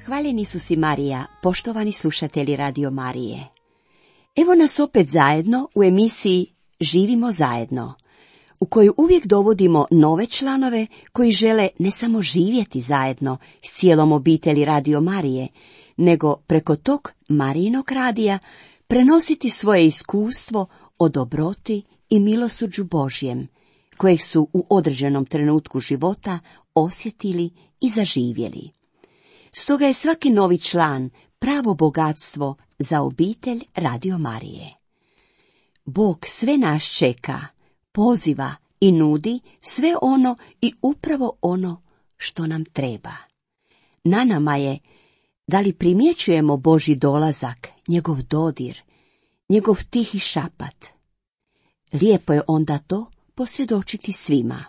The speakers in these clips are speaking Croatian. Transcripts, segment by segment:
Hvaljeni su si Marija, poštovani slušatelji Radio Marije. Evo nas opet zajedno u emisiji Živimo zajedno, u kojoj uvijek dovodimo nove članove koji žele ne samo živjeti zajedno s cijelom obitelji Radio Marije, nego preko tog Marijinog radija prenositi svoje iskustvo o dobroti i milosrđu Božjem, kojeg su u određenom trenutku života osjetili i zaživjeli. Stoga je svaki novi član pravo bogatstvo za obitelj Radio Marije. Bog sve nas čeka, poziva i nudi sve ono i upravo ono što nam treba. Na nama je da li primjećujemo Božji dolazak, njegov dodir, njegov tihi šapat. Lijepo je onda to posvjedočiti svima.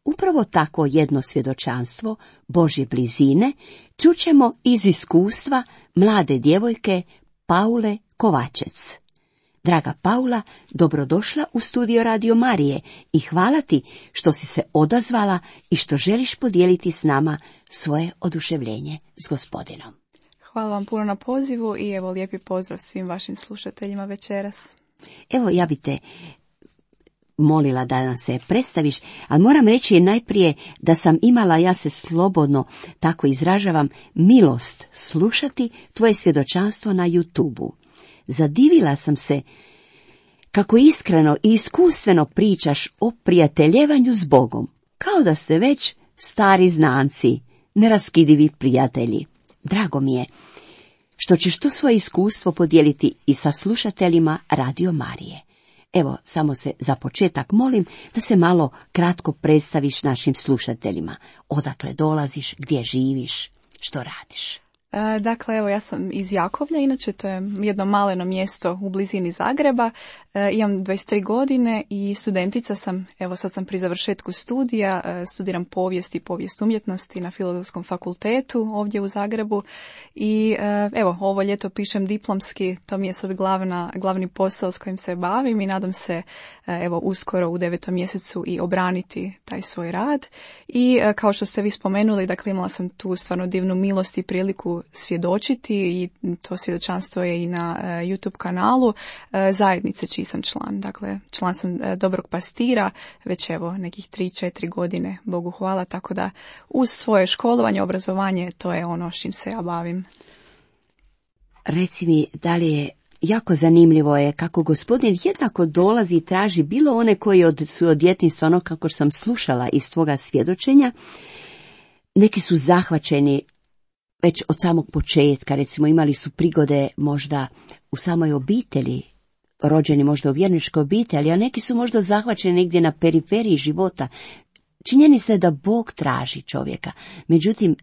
Upravo tako jedno svjedočanstvo Božje blizine čućemo iz iskustva mlade djevojke Paule Kovačec. Draga Paula, dobrodošla u studio Radio Marije i hvala ti što si se odazvala i što želiš podijeliti s nama svoje oduševljenje s Gospodinom. Hvala vam puno na pozivu i evo lijepi pozdrav svim vašim slušateljima večeras. Evo, ja bi te molila da nam se predstaviš, ali moram reći najprije da sam imala, ja se slobodno tako izražavam, milost slušati tvoje svjedočanstvo na YouTube-u. Zadivila sam se kako iskreno i iskustveno pričaš o prijateljevanju s Bogom, kao da ste već stari znanci, neraskidivi prijatelji. Drago mi je što ćeš to svoje iskustvo podijeliti i sa slušateljima Radio Marije. Evo, samo se za početak molim da se malo kratko predstaviš našim slušateljima. Odakle dolaziš, gdje živiš, što radiš? Dakle, evo, ja sam iz Jakovlja, inače to je jedno maleno mjesto u blizini Zagreba. Imam 23 godine i studentica sam, evo sad sam pri završetku studija, studiram povijest i povijest umjetnosti na Filozofskom fakultetu ovdje u Zagrebu i evo, ovo ljeto pišem diplomski, to mi je sad glavni posao s kojim se bavim i nadam se evo uskoro u 9. mjesecu i obraniti taj svoj rad. I kao što ste vi spomenuli, dakle imala sam tu stvarno divnu milost i priliku svjedočiti i to svjedočanstvo je i na YouTube kanalu zajednice čiji sam član. Dakle, član sam Dobrog pastira već evo nekih 3-4 godine, Bogu hvala, tako da uz svoje školovanje, obrazovanje, to je ono s čim se ja bavim. Reci mi, da li je jako zanimljivo je kako Gospodin jednako dolazi i traži bilo one koji su od djetinjstva, ono kako sam slušala iz tvoga svjedočenja, neki su zahvaćeni već od samog početka, recimo imali su prigode možda u samoj obitelji, rođeni možda u vjerničkoj obitelji, a neki su možda zahvaćeni negdje na periferiji života. Činjenica je da Bog traži čovjeka, međutim,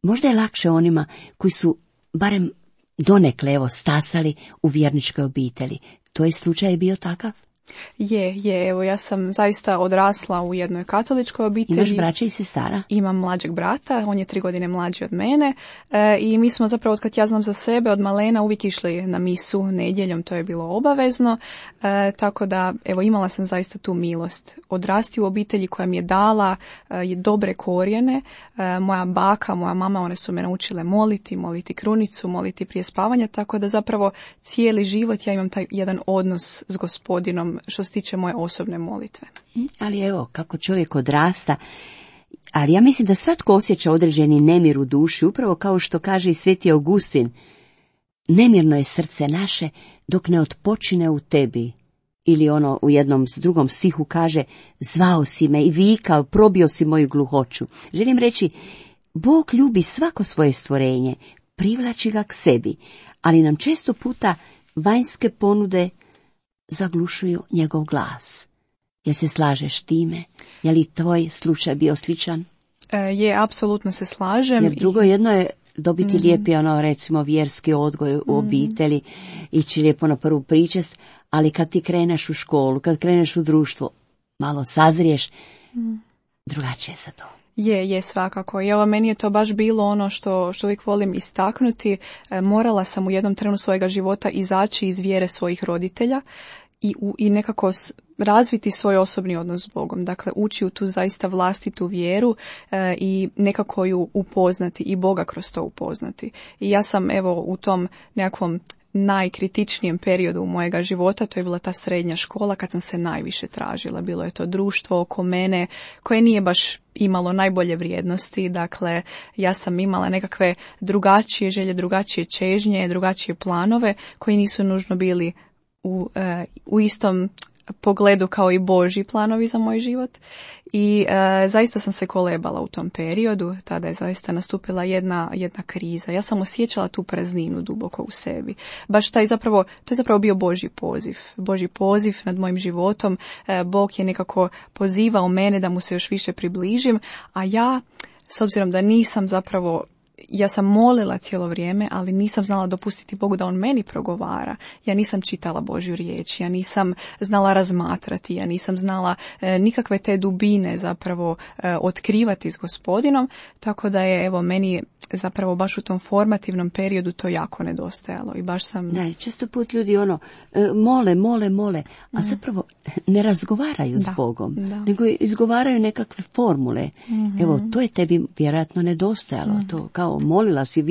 možda je lakše onima koji su barem donekle stasali u vjerničkoj obitelji. To je slučaj bio takav? Je, evo ja sam zaista odrasla u jednoj katoličkoj obitelji. Imaš braća i sestara? Imam mlađeg brata, on je 3 godine mlađi od mene i mi smo zapravo, od kad ja znam za sebe, od malena uvijek išli na misu nedjeljom, to je bilo obavezno, tako da evo imala sam zaista tu milost. Odrasti u obitelji koja mi je dala dobre korijene, moja baka, moja mama, one su me naučile moliti krunicu, moliti prije spavanja, tako da zapravo cijeli život ja imam taj jedan odnos s Gospodinom što se tiče moje osobne molitve. Ali evo, kako čovjek odrasta, ali ja mislim da svatko osjeća određeni nemir u duši, upravo kao što kaže i Sveti Augustin, nemirno je srce naše dok ne otpočine u tebi. Ili ono u jednom drugom stihu kaže, zvao si me i vikao, probio si moju gluhoću. Želim reći, Bog ljubi svako svoje stvorenje, privlači ga k sebi, ali nam često puta vanjske ponude zaglušuju njegov glas. Jel se slažeš time? Je li tvoj slučaj bio sličan? Je, apsolutno se slažem. Jer drugo jedno je dobiti lijepi, recimo, vjerski odgoj u obitelji, ići lijepo na prvu pričest, ali kad ti kreneš u školu, kad kreneš u društvo, malo sazriješ, drugačije se to. Je svakako. I evo, meni je to baš bilo ono što uvijek volim istaknuti. Morala sam u jednom trenu svojega života izaći iz vjere svojih roditelja i nekako razviti svoj osobni odnos s Bogom, dakle ući u tu zaista vlastitu vjeru i nekako ju upoznati i Boga kroz to upoznati. I ja sam evo u tom nekakvom najkritičnijem periodu mojega života, to je bila ta srednja škola kad sam se najviše tražila. Bilo je to društvo oko mene koje nije baš imalo najbolje vrijednosti, dakle ja sam imala nekakve drugačije želje, drugačije čežnje, drugačije planove koji nisu nužno bili u istom pogledu kao i Božji planovi za moj život i zaista sam se kolebala u tom periodu. Tada je zaista nastupila jedna kriza. Ja sam osjećala tu prazninu duboko u sebi. Baš to je zapravo bio Božji poziv nad mojim životom. Bog je nekako pozivao mene da mu se još više približim, a ja, s obzirom da nisam zapravo, ja sam molila cijelo vrijeme, ali nisam znala dopustiti Bogu da on meni progovara. Ja nisam čitala Božju riječ, ja nisam znala razmatrati, ja nisam znala nikakve te dubine zapravo otkrivati s Gospodinom, tako da je evo meni zapravo baš u tom formativnom periodu to jako nedostajalo i baš sam... Da, često put ljudi mole, a zapravo ne razgovaraju s Bogom, nego izgovaraju nekakve formule. Evo, to je tebi vjerojatno nedostajalo, to kao molila si,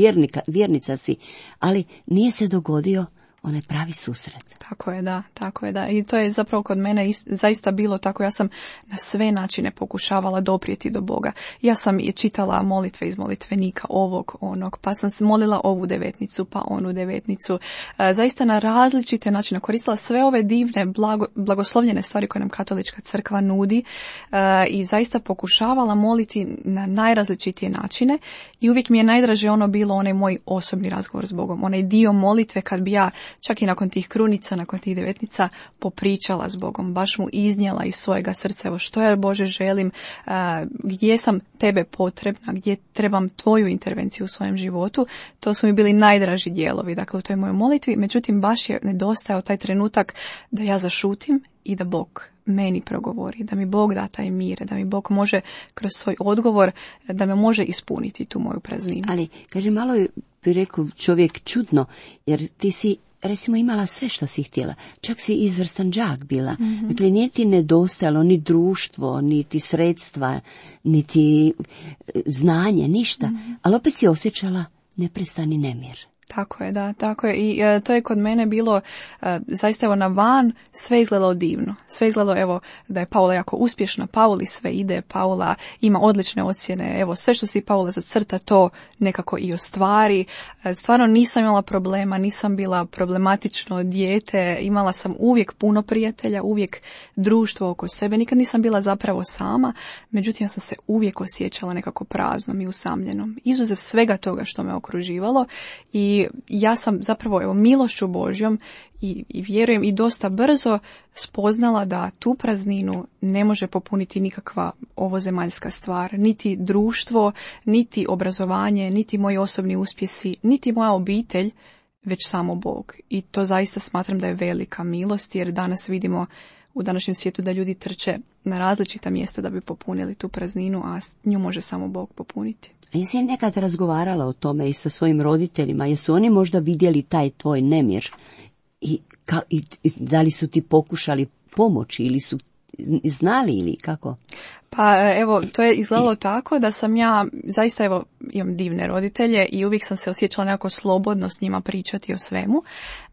vjernica si, ali nije se dogodio onaj pravi susret. Tako je, da. I to je zapravo kod mene zaista bilo tako. Ja sam na sve načine pokušavala doprijeti do Boga. Ja sam čitala molitve iz molitvenika, ovog, onog, pa sam molila ovu devetnicu, pa onu devetnicu. Zaista na različite načine koristila sve ove divne, blagoslovljene stvari koje nam katolička crkva nudi i zaista pokušavala moliti na najrazličitije načine i uvijek mi je najdraže ono bilo onaj moj osobni razgovor s Bogom. Onaj dio molitve kad bi ja čak i nakon tih krunica, nakon tih devetnica popričala s Bogom, baš mu iznijela iz svojega srca, evo što ja Bože želim, gdje sam tebe potrebna, gdje trebam tvoju intervenciju u svojem životu, to su mi bili najdraži dijelovi, dakle u toj mojoj molitvi, međutim baš je nedostajao taj trenutak da ja zašutim i da Bog meni progovori, da mi Bog da taj mir, da mi Bog može kroz svoj odgovor, da me može ispuniti tu moju prazninu. Ali, kaže, malo bi rekao čovjek čudno, jer ti si recimo imala sve što si htjela, čak si izvrstan đak bila. Dakle, nije ti nedostajalo ni društvo, niti sredstva, niti znanje, ništa, ali opet si osjećala neprestani nemir. Tako je, da, tako je. I to je kod mene bilo zaista evo na van sve izgledalo divno. Sve izgledalo evo da je Paula jako uspješna, Pauli sve ide, Paula ima odlične ocjene, evo sve što si Paula zacrta to nekako i ostvari. Stvarno nisam imala problema, nisam bila problematično dijete, imala sam uvijek puno prijatelja, uvijek društvo oko sebe, nikad nisam bila zapravo sama, međutim ja sam se uvijek osjećala nekako praznom i usamljenom. Izuzev svega toga što me okruživalo i ja sam zapravo evo milošću Božjom i vjerujem i dosta brzo spoznala da tu prazninu ne može popuniti nikakva ovozemaljska stvar, niti društvo, niti obrazovanje, niti moji osobni uspjesi, niti moja obitelj, već samo Bog. I to zaista smatram da je velika milost, jer danas vidimo u današnjem svijetu da ljudi trče na različita mjesta da bi popunili tu prazninu, a nju može samo Bog popuniti. A jesi nekad razgovarala o tome i sa svojim roditeljima? Jesu oni možda vidjeli taj tvoj nemir? I da li su ti pokušali pomoći ili su znali ili kako? Pa evo, to je izgledalo tako da sam ja, zaista evo, imam divne roditelje i uvijek sam se osjećala nekako slobodno s njima pričati o svemu.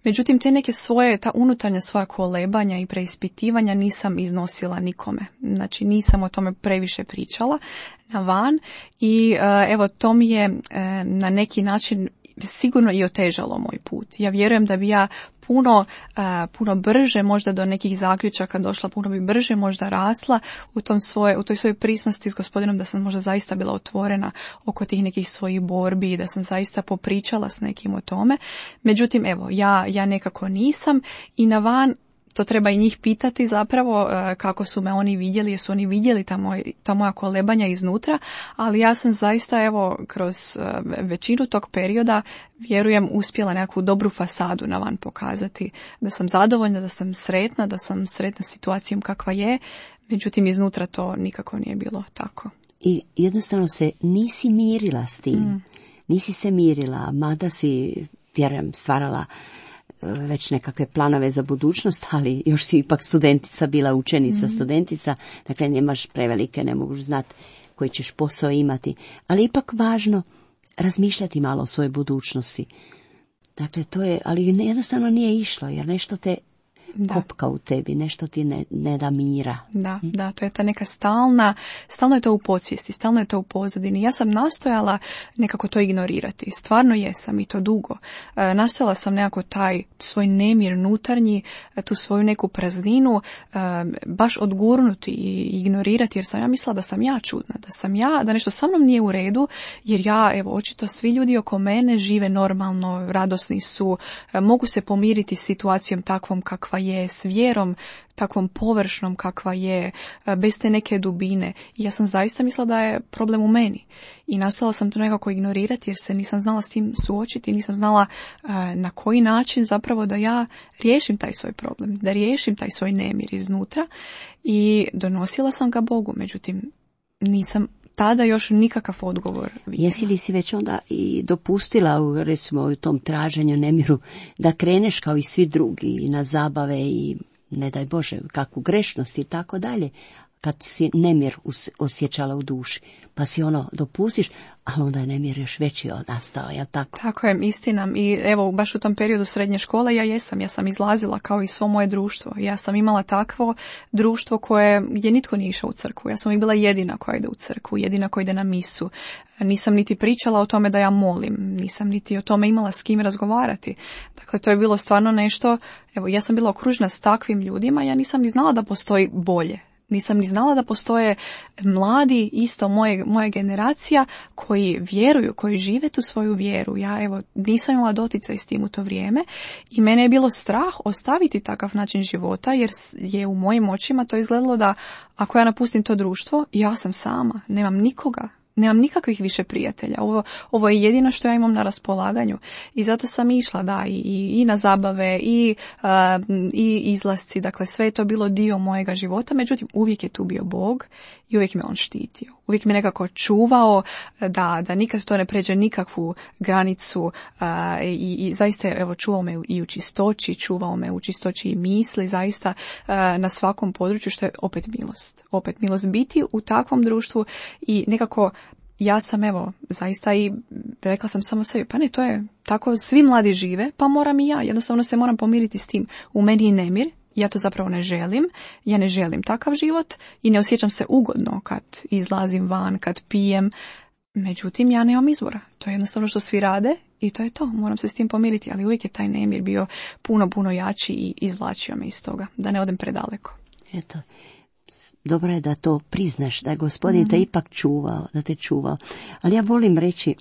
Međutim, te neke svoje, ta unutarnja svoja kolebanja i preispitivanja nisam iznosila nikome. Znači, nisam o tome previše pričala na van i evo, to mi je na neki način sigurno i otežalo moj put. Ja vjerujem da bi ja puno brže možda do nekih zaključaka došla, puno bi brže možda rasla u toj svojoj prisnosti s Gospodinom, da sam možda zaista bila otvorena oko tih nekih svojih borbi i da sam zaista popričala s nekim o tome. Međutim, evo, ja nekako nisam i na van to treba i njih pitati zapravo kako su me oni vidjeli, jesu oni vidjeli ta moja kolebanja iznutra, ali ja sam zaista evo kroz većinu tog perioda vjerujem uspjela nekakvu dobru fasadu na van pokazati, da sam zadovoljna, da sam sretna situacijom kakva je, međutim iznutra to nikako nije bilo tako. I jednostavno se nisi mirila s tim, nisi se mirila, mada si, vjerujem, stvarala već nekakve planove za budućnost, ali još si ipak studentica, bila učenica, studentica, dakle nemaš prevelike, ne mogu znati koji ćeš posao imati, ali ipak važno razmišljati malo o svojoj budućnosti. Dakle, to je, ali jednostavno nije išlo, jer nešto te kopka u tebi, nešto ti ne da mira. Da, to je ta neka stalno je to u podsvijesti, stalno je to u pozadini. Ja sam nastojala nekako to ignorirati, stvarno jesam i to dugo. Nastojala sam nekako taj svoj nemir unutarnji, tu svoju neku prazninu, baš odgurnuti i ignorirati, jer sam ja mislila da sam ja čudna, da nešto sa mnom nije u redu, jer ja, evo, očito svi ljudi oko mene žive normalno, radosni su, mogu se pomiriti s situacijom takvom kakva je, s vjerom takvom površnom kakva je, bez te neke dubine. I ja sam zaista mislila da je problem u meni. I nastojala sam to nekako ignorirati jer se nisam znala s tim suočiti, nisam znala na koji način zapravo da ja riješim taj svoj problem, da riješim taj svoj nemir iznutra. I donosila sam ga Bogu, međutim nisam tada još nikakav odgovor vidjela. Jesi li si već onda i dopustila recimo u tom traženju, nemiru, da kreneš kao i svi drugi i na zabave i ne daj Bože kakvu grešnost i tako dalje, kad si nemir osjećala u duši, pa si dopustiš, ali onda je nemir još veći nastao, jel tako? Tako je, istina. I evo, baš u tom periodu srednje škole ja sam izlazila kao i svo moje društvo. Ja sam imala takvo društvo gdje nitko nije išao u crkvu. Ja sam i bila jedina koja ide u crkvu, jedina koja ide na misu. Nisam niti pričala o tome da ja molim, nisam niti o tome imala s kim razgovarati. Dakle, to je bilo stvarno nešto, evo, ja sam bila okružena s takvim ljudima, ja nisam ni znala da postoji bolje. Nisam ni znala da postoje mladi, isto moja generacija, koji vjeruju, koji žive tu svoju vjeru. Ja, evo, nisam imala doticaj s tim u to vrijeme i mene je bilo strah ostaviti takav način života, jer je u mojim očima to izgledalo da ako ja napustim to društvo, ja sam sama, nemam nikoga. Nemam nikakvih više prijatelja. Ovo je jedino što ja imam na raspolaganju. I zato sam išla, i na zabave, i izlasci. Dakle, sve je to bilo dio mojega života. Međutim, uvijek je tu bio Bog i uvijek me on štitio. Uvijek me nekako čuvao da nikad to ne pređe nikakvu granicu. I zaista, evo, čuvao me i u čistoći, čuvao me u čistoći i misli, zaista na svakom području, što je opet milost. Opet milost biti u takvom društvu i nekako ja sam, evo, zaista i rekla sam samo sebi, pa ne, to je tako, svi mladi žive, pa moram i ja, jednostavno se moram pomiriti s tim. U meni je nemir, ja to zapravo ne želim, ja ne želim takav život i ne osjećam se ugodno kad izlazim van, kad pijem, međutim ja nemam izbora, to je jednostavno što svi rade i to je to, moram se s tim pomiriti, ali uvijek je taj nemir bio puno jači i izvlačio me iz toga, da ne odem predaleko. Eto. Dobro je da to priznaš, da je Gospodin te ipak čuvao, da te čuvao. Ali ja volim reći,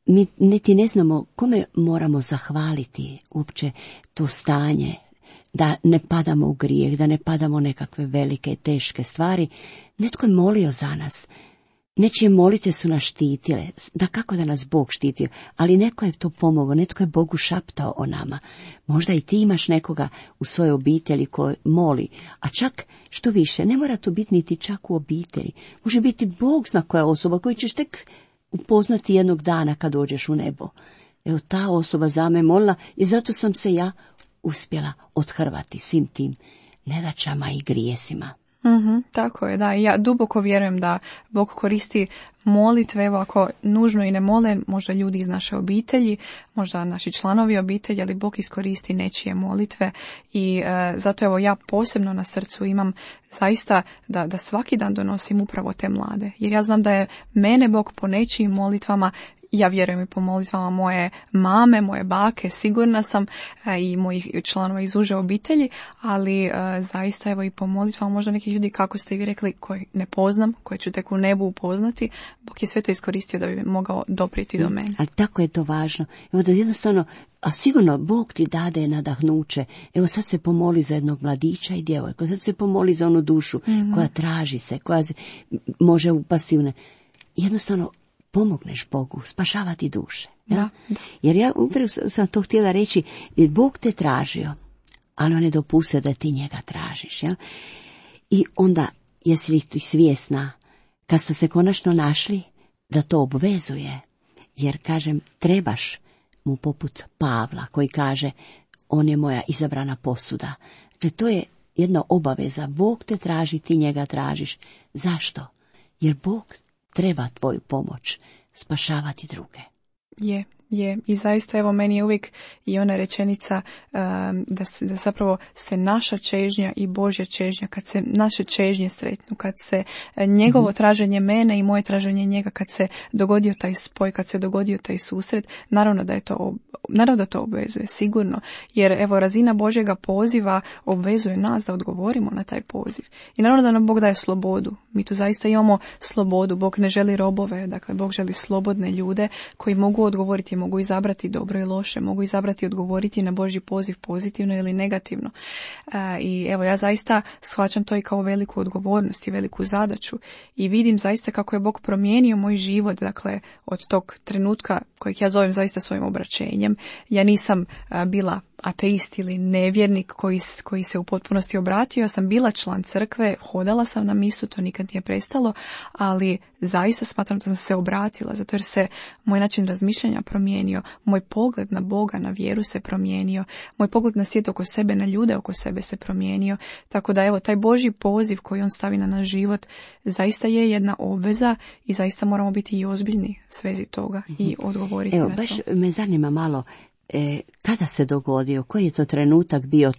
mi niti ne znamo kome moramo zahvaliti uopće to stanje, da ne padamo u grijeh, da ne padamo u nekakve velike i teške stvari. Netko je molio za nas. Nečije molitve su nas štitile, da kako da nas Bog štitio, ali neko je to pomogao, netko je Bogu šaptao o nama. Možda i ti imaš nekoga u svojoj obitelji koji moli, a čak što više, ne mora to biti niti čak u obitelji. Može biti Bog zna koja osoba koju ćeš tek upoznati jednog dana kad dođeš u nebo. Evo, ta osoba za me molila i zato sam se ja uspjela othrvati svim tim nedaćama i grijesima. Tako je, da. I ja duboko vjerujem da Bog koristi molitve, evo, ako nužno i ne mole, možda ljudi iz naše obitelji, možda naši članovi obitelji, ali Bog iskoristi nečije molitve i zato evo ja posebno na srcu imam zaista da svaki dan donosim upravo te mlade, jer ja znam da je mene Bog po nečijim molitvama, ja vjerujem i po molitvama moje mame, moje bake, sigurna sam, i mojih članova iz uže obitelji, ali zaista evo i po molitvama možda nekih ljudi, kako ste vi rekli, koje ne poznam, koje ću tek u nebu upoznati, Bog je sve to iskoristio da bi mogao doprijeti do mene. Ali tako je to važno. Evo da jednostavno, a sigurno Bog ti dade nadahnuće. Evo sad se pomoli za jednog mladića i djevojku, sad se pomoli za onu dušu koja traži se, koja može upasti u ne. Jednostavno, pomogneš Bogu, spašavati duše. Ja? Da. Jer ja upravo sam to htjela reći, Bog te tražio, ali on je dopustio da ti njega tražiš. Ja? I onda, jesi li ti svjesna, kad ste se konačno našli, da to obvezuje, jer kažem, trebaš mu poput Pavla koji kaže on je moja izabrana posuda. Dakle, to je jedna obaveza. Bog te traži, ti njega tražiš. Zašto? Jer Bog treba tvoju pomoć spašavati druge. Je. I zaista evo meni je uvijek i ona rečenica da zapravo se naša čežnja i Božja čežnja, kad se naše čežnje sretnu, kad se njegovo traženje mene i moje traženje njega, kad se dogodio taj spoj, kad se dogodio taj susret, naravno da to obvezuje, sigurno. Jer evo razina Božjega poziva obvezuje nas da odgovorimo na taj poziv. I naravno da nam Bog daje slobodu. Mi tu zaista imamo slobodu. Bog ne želi robove, dakle Bog želi slobodne ljude koji mogu odgovoriti, mogu izabrati dobro i loše, mogu izabrati odgovoriti na Božji poziv pozitivno ili negativno. I evo ja zaista shvaćam to i kao veliku odgovornost i veliku zadaću i vidim zaista kako je Bog promijenio moj život, dakle od tog trenutka kojeg ja zovem zaista svojim obraćenjem. Ja nisam bila ateist ili nevjernik koji se u potpunosti obratio. Ja sam bila član crkve, hodala sam na misu, to nikad nije prestalo, ali zaista smatram da sam se obratila, zato jer se moj način razmišljanja promijenio, moj pogled na Boga, na vjeru se promijenio, moj pogled na svijet oko sebe, na ljude oko sebe se promijenio. Tako da evo, taj Božji poziv koji on stavi na naš život zaista je jedna obveza i zaista moramo biti i ozbiljni svezi toga i odgovoriti evo, na to. Baš me zanima malo, kada se dogodio, koji je to trenutak bio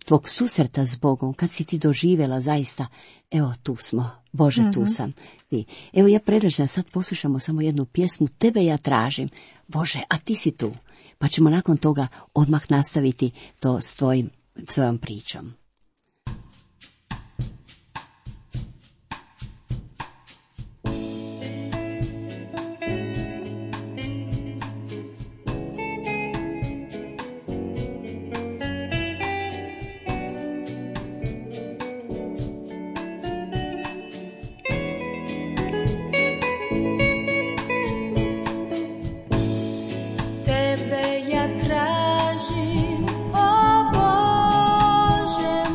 tvog susreta s Bogom, kad si ti doživjela zaista, evo tu smo, Bože tu sam. I, evo ja predlažem, sad poslušamo samo jednu pjesmu, tebe ja tražim, Bože, a ti si tu. Pa ćemo nakon toga odmah nastaviti to s svojom pričom. Tebe ja tražim, o Bože,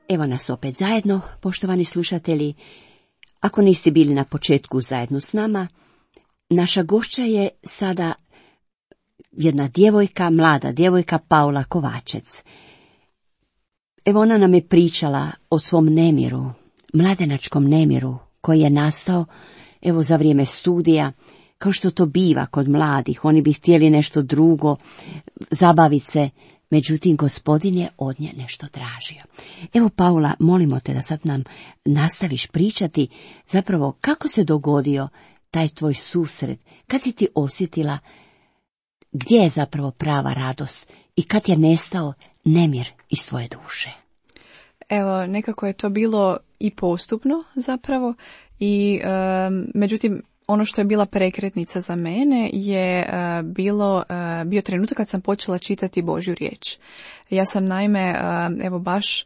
Evo nas opet zajedno, poštovani slušatelji. Ako niste bili na početku zajedno s nama, naša gošća je sada jedna djevojka, mlada djevojka Paula Kovačec. Evo ona nam je pričala o svom nemiru, mladenačkom nemiru koji je nastao evo za vrijeme studija, kao što to biva kod mladih. Oni bi htjeli nešto drugo, zabaviti se, međutim Gospodin je od nje nešto tražio. Evo Paula, molimo te da sad nam nastaviš pričati zapravo kako se dogodio taj tvoj susret, kad si ti osjetila gdje je zapravo prava radost i kad je nestao nemir iz tvoje duše. Evo, nekako je to bilo i postupno zapravo i međutim ono što je bila prekretnica za mene je bio trenutak kad sam počela čitati Božju riječ. Ja sam naime, evo baš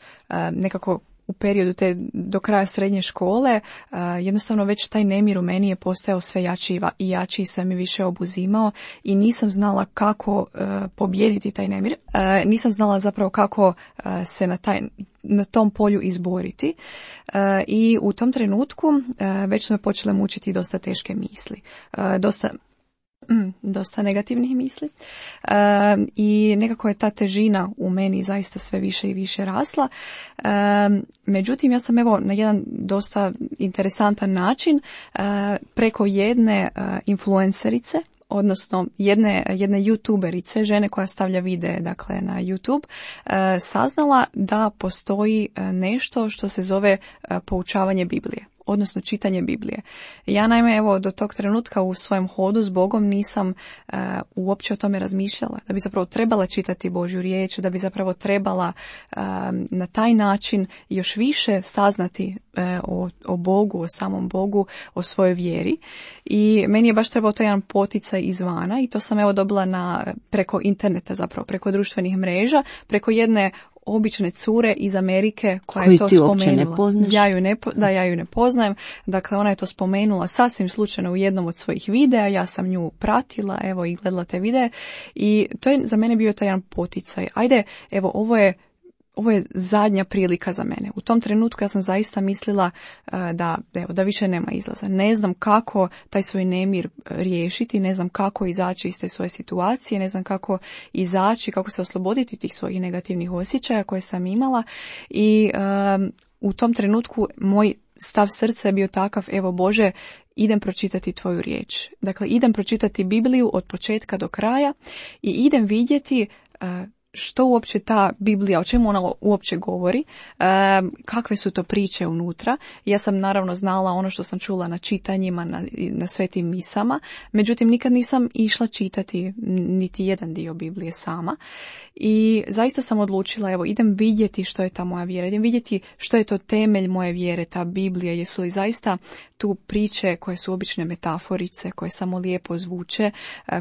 nekako u periodu do kraja srednje škole, jednostavno već taj nemir u meni je postajao sve jači i jači i sve mi više obuzimao i nisam znala kako pobijediti taj nemir. Nisam znala zapravo kako se na tom polju izboriti i u tom trenutku već su me počele mučiti dosta teške misli. Dosta negativnih misli i nekako je ta težina u meni zaista sve više i više rasla. Međutim, ja sam evo na jedan dosta interesantan način preko jedne influencerice, odnosno jedne youtuberice, žene koja stavlja videe dakle na YouTube, saznala da postoji nešto što se zove poučavanje Biblije, odnosno čitanje Biblije. Ja naime evo do tog trenutka u svojem hodu s Bogom nisam uopće o tome razmišljala, da bi zapravo trebala čitati Božju riječ, da bi zapravo trebala na taj način još više saznati o Bogu, o samom Bogu, o svojoj vjeri. I meni je baš trebao to jedan poticaj izvana i to sam evo dobila preko interneta, zapravo preko društvenih mreža, preko jedne obične cure iz Amerike koja je to spomenula. Ja ju ne poznajem. Dakle, ona je to spomenula sasvim slučajno u jednom od svojih videa. Ja sam nju pratila, evo i gledala te videe i to je za mene bio taj jedan poticaj. Ajde, evo ovo je zadnja prilika za mene. U tom trenutku ja sam zaista mislila da više nema izlaza. Ne znam kako taj svoj nemir riješiti, ne znam kako izaći iz te svoje situacije, ne znam kako izaći, kako se osloboditi tih svojih negativnih osjećaja koje sam imala i u tom trenutku moj stav srca je bio takav, evo Bože, idem pročitati tvoju riječ. Dakle, idem pročitati Bibliju od početka do kraja i idem vidjeti što uopće ta Biblija, o čemu ona uopće govori, kakve su to priče unutra. Ja sam naravno znala ono što sam čula na čitanjima, na svetim misama, međutim nikad nisam išla čitati niti jedan dio Biblije sama. I zaista sam odlučila, evo idem vidjeti što je ta moja vjera, idem vidjeti što je to temelj moje vjere, ta Biblija, jesu li zaista tu priče koje su obične metaforice, koje samo lijepo zvuče,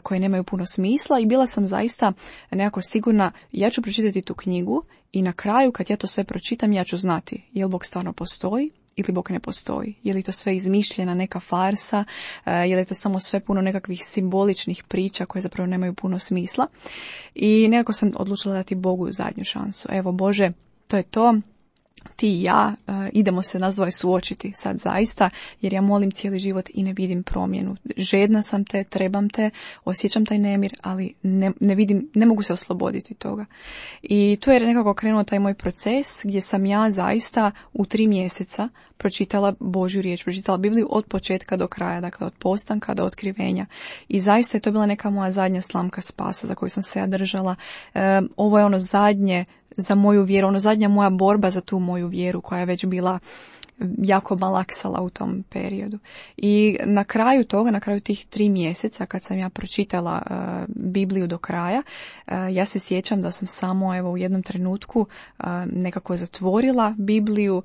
koje nemaju puno smisla i bila sam zaista nekako sigurna, ja ću pročitati tu knjigu i na kraju kad ja to sve pročitam ja ću znati je li Bog stvarno postoji ili Bog ne postoji, je li to sve izmišljena neka farsa, je li to samo sve puno nekakvih simboličnih priča koje zapravo nemaju puno smisla. I nekako sam odlučila dati Bogu zadnju šansu. Evo Bože, to je to. Ti i ja idemo se nas dvoje suočiti sad zaista, jer ja molim cijeli život i ne vidim promjenu. Žedna sam te, trebam te, osjećam taj nemir, ali ne mogu se osloboditi toga. I tu je nekako krenuo taj moj proces gdje sam ja zaista u 3 mjeseca pročitala Božju riječ, pročitala Bibliju od početka do kraja, dakle od postanka do otkrivenja. I zaista je to bila neka moja zadnja slamka spasa za koju sam se ja držala. Ovo je ono zadnje za moju vjeru, ono zadnja moja borba za tu moju vjeru koja je već bila jako malaksala u tom periodu. I na kraju toga, na kraju tih 3 mjeseca kad sam ja pročitala Bibliju do kraja, ja se sjećam da sam samo evo u jednom trenutku nekako zatvorila Bibliju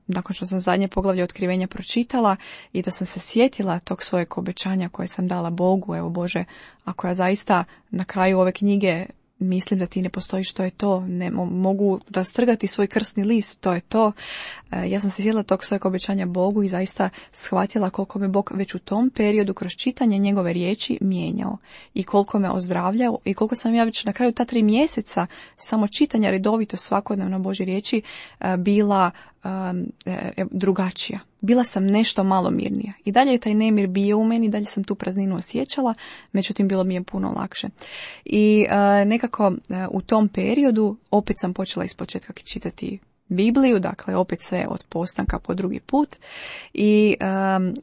nakon što sam zadnje poglavlje otkrivenja pročitala i da sam se sjetila tog svojeg obećanja koje sam dala Bogu. Evo Bože, ako ja zaista na kraju ove knjige mislim da ti ne postoji, što je to, ne mogu rastrgati svoj krsni list, to je to. Ja sam se sjetila tog svojeg obećanja Bogu i zaista shvatila koliko me Bog već u tom periodu kroz čitanje njegove riječi mijenjao i koliko me ozdravljao i koliko sam ja već na kraju ta 3 mjeseca samo čitanja redovito svakodnevno Božje riječi bila drugačija. Bila sam nešto malo mirnija. I dalje je taj nemir bio u meni, dalje sam tu prazninu osjećala, međutim bilo mi je puno lakše. I nekako u tom periodu opet sam počela ispočetka čitati Bibliju, dakle opet sve od postanka po drugi put i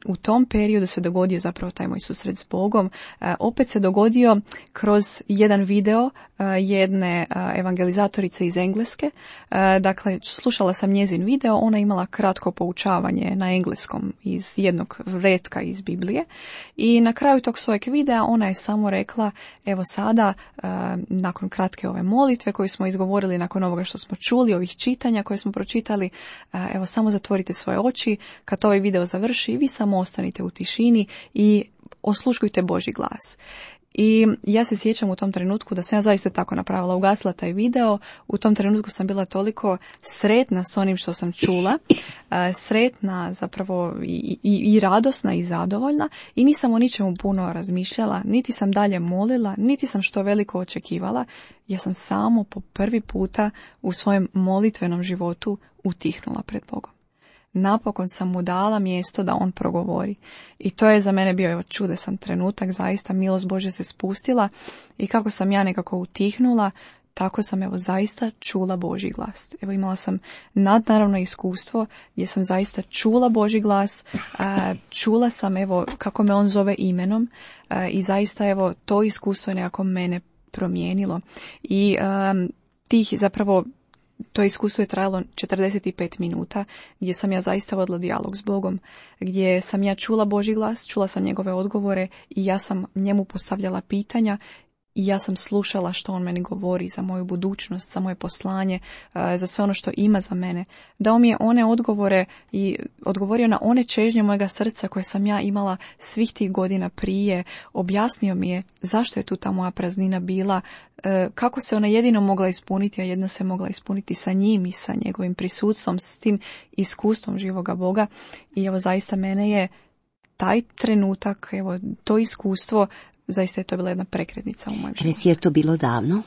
u tom periodu se dogodio zapravo taj moj susret s Bogom. Opet se dogodio kroz jedan video jedne evangelizatorice iz Engleske. Dakle, slušala sam njezin video, ona imala kratko poučavanje na engleskom iz jednog retka iz Biblije i na kraju tog svojeg videa ona je samo rekla, evo sada, nakon kratke ove molitve koju smo izgovorili, nakon ovoga što smo čuli, ovih čitanja koje smo pročitali, evo samo zatvorite svoje oči, kad ovaj video završi, vi samo ostanite u tišini i osluškujte Božji glas. I ja se sjećam u tom trenutku da sam ja zaista tako napravila, ugasila taj video, u tom trenutku sam bila toliko sretna s onim što sam čula, sretna zapravo i radosna i zadovoljna i nisam o ničemu puno razmišljala, niti sam dalje molila, niti sam što veliko očekivala, ja sam samo po prvi puta u svojem molitvenom životu utihnula pred Bogom. Napokon sam mu dala mjesto da on progovori. I to je za mene bio čudesan trenutak, zaista milost Božja se spustila i kako sam ja nekako utihnula, tako sam zaista čula Božji glas. Imala sam nadnaravno iskustvo gdje sam zaista čula Božji glas, čula sam kako me on zove imenom i zaista to iskustvo je nekako mene promijenilo. I tih zapravo to iskustvo je trajalo 45 minuta gdje sam ja zaista vodila dijalog s Bogom, gdje sam ja čula Božji glas, čula sam njegove odgovore i ja sam njemu postavljala pitanja i ja sam slušala što on meni govori za moju budućnost, za moje poslanje, za sve ono što ima za mene. Dao mi je one odgovore i odgovorio na one čežnje mojega srca koje sam ja imala svih tih godina prije. Objasnio mi je zašto je tu ta moja praznina bila, kako se ona jedino mogla ispuniti, a jedno se mogla ispuniti sa njim i sa njegovim prisutstvom, s tim iskustvom živoga Boga. I zaista mene je taj trenutak, to iskustvo, zaista je to bila jedna prekretnica u mojem životu. Reci, je to bilo davno?